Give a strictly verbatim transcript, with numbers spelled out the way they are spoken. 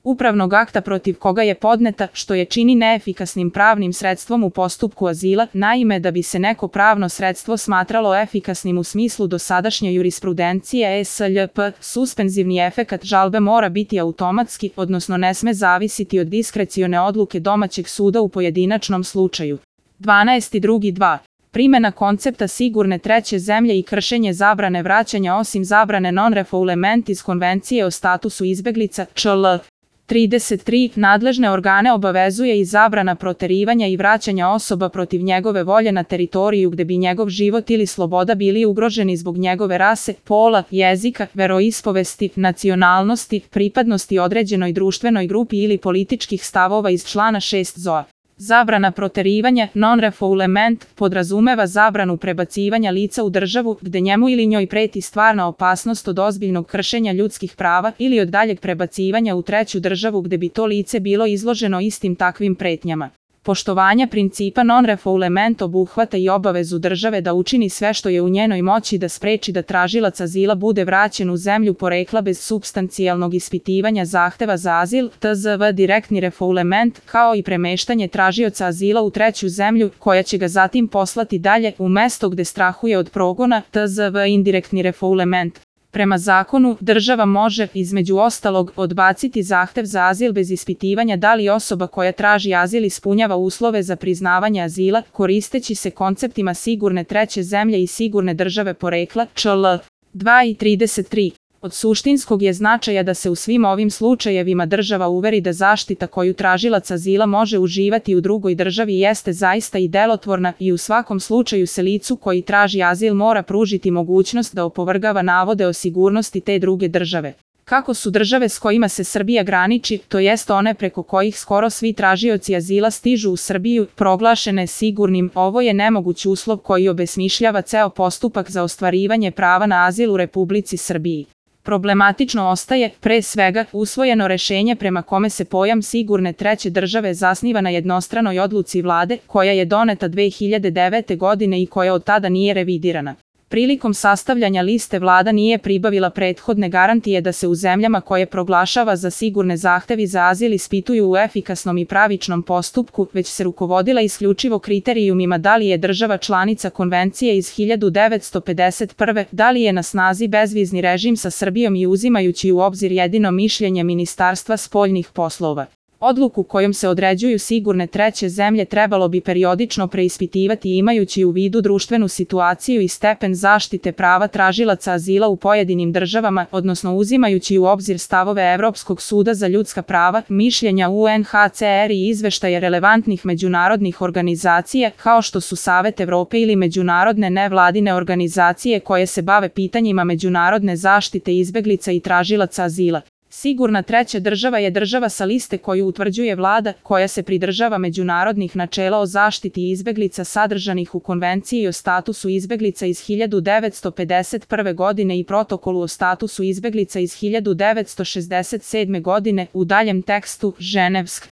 upravnog akta protiv koga je podneta, što je čini neefikasnim pravnim sredstvom u postupku azila. Naime, da bi se neko pravno sredstvo smatralo efikasnim u smislu dosadašnje jurisprudencije E S L P, suspenzivni efekat žalbe mora biti automatski, odnosno ne sme zavisiti od diskrecione odluke domaćeg suda u pojedinačnom slučaju. dvanaest drugi dva. Primjena koncepta sigurne treće zemlje i kršenje zabrane vraćanja osim zabrane non-refoulement iz Konvencije o statusu izbeglica, Č L. trideset tri. Nadležne organe obavezuje i zabrana proterivanja i vraćanja osoba protiv njegove volje na teritoriju gde bi njegov život ili sloboda bili ugroženi zbog njegove rase, pola, jezika, veroispovesti, nacionalnosti, pripadnosti određenoj društvenoj grupi ili političkih stavova iz člana šest Z O A. Zabrana proterivanja, non-refoulement, podrazumeva zabranu prebacivanja lica u državu gde njemu ili njoj preti stvarna opasnost od ozbiljnog kršenja ljudskih prava ili od daljeg prebacivanja u treću državu gde bi to lice bilo izloženo istim takvim pretnjama. Poštovanja principa non-refoulement obuhvata i obavezu države da učini sve što je u njenoj moći da spreči da tražilac azila bude vraćen u zemlju porekla bez supstancijalnog ispitivanja zahteva za azil, T Z V direktni refoulement, kao i premeštanje tražioca azila u treću zemlju, koja će ga zatim poslati dalje u mesto gde strahuje od progona, T Z V indirektni refoulement. Prema zakonu, država može, između ostalog, odbaciti zahtev za azil bez ispitivanja da li osoba koja traži azil ispunjava uslove za priznavanje azila, koristeći se konceptima sigurne treće zemlje i sigurne države porekla, Č L. dva i trideset tri. Od suštinskog je značaja da se u svim ovim slučajevima država uveri da zaštita koju tražilac azila može uživati u drugoj državi jeste zaista i delotvorna i u svakom slučaju se licu koji traži azil mora pružiti mogućnost da opovrgava navode o sigurnosti te druge države. Kako su države s kojima se Srbija graniči, to jest one preko kojih skoro svi tražioci azila stižu u Srbiju, proglašene sigurnim, ovo je nemoguć uslov koji obesmišljava ceo postupak za ostvarivanje prava na azil u Republici Srbiji. Problematično ostaje, pre svega, usvojeno rešenje prema kome se pojam sigurne treće države zasniva na jednostranoj odluci vlade, koja je doneta dve hiljade devete. godine i koja od tada nije revidirana. Prilikom sastavljanja liste vlada nije pribavila prethodne garantije da se u zemljama koje proglašava za sigurne zahtevi za azil ispituju u efikasnom i pravičnom postupku, već se rukovodila isključivo kriterijumima da li je država članica Konvencije iz hiljadu devetsto pedeset prve, da li je na snazi bezvizni režim sa Srbijom i uzimajući u obzir jedino mišljenje Ministarstva spoljnih poslova. Odluku kojom se određuju sigurne treće zemlje trebalo bi periodično preispitivati imajući u vidu društvenu situaciju i stepen zaštite prava tražilaca azila u pojedinim državama, odnosno uzimajući u obzir stavove Evropskog suda za ljudska prava, mišljenja U N H C R i izveštaje relevantnih međunarodnih organizacija, kao što su Savet Evrope ili međunarodne nevladine organizacije koje se bave pitanjima međunarodne zaštite izbeglica i tražilaca azila. Sigurna treća država je država sa liste koju utvrđuje vlada, koja se pridržava međunarodnih načela o zaštiti izbeglica sadržanih u Konvenciji o statusu izbeglica iz hiljadu devetsto pedeset prve. godine i Protokolu o statusu izbeglica iz hiljadu devetsto šezdeset sedme. godine, u daljem tekstu, Ženevsk.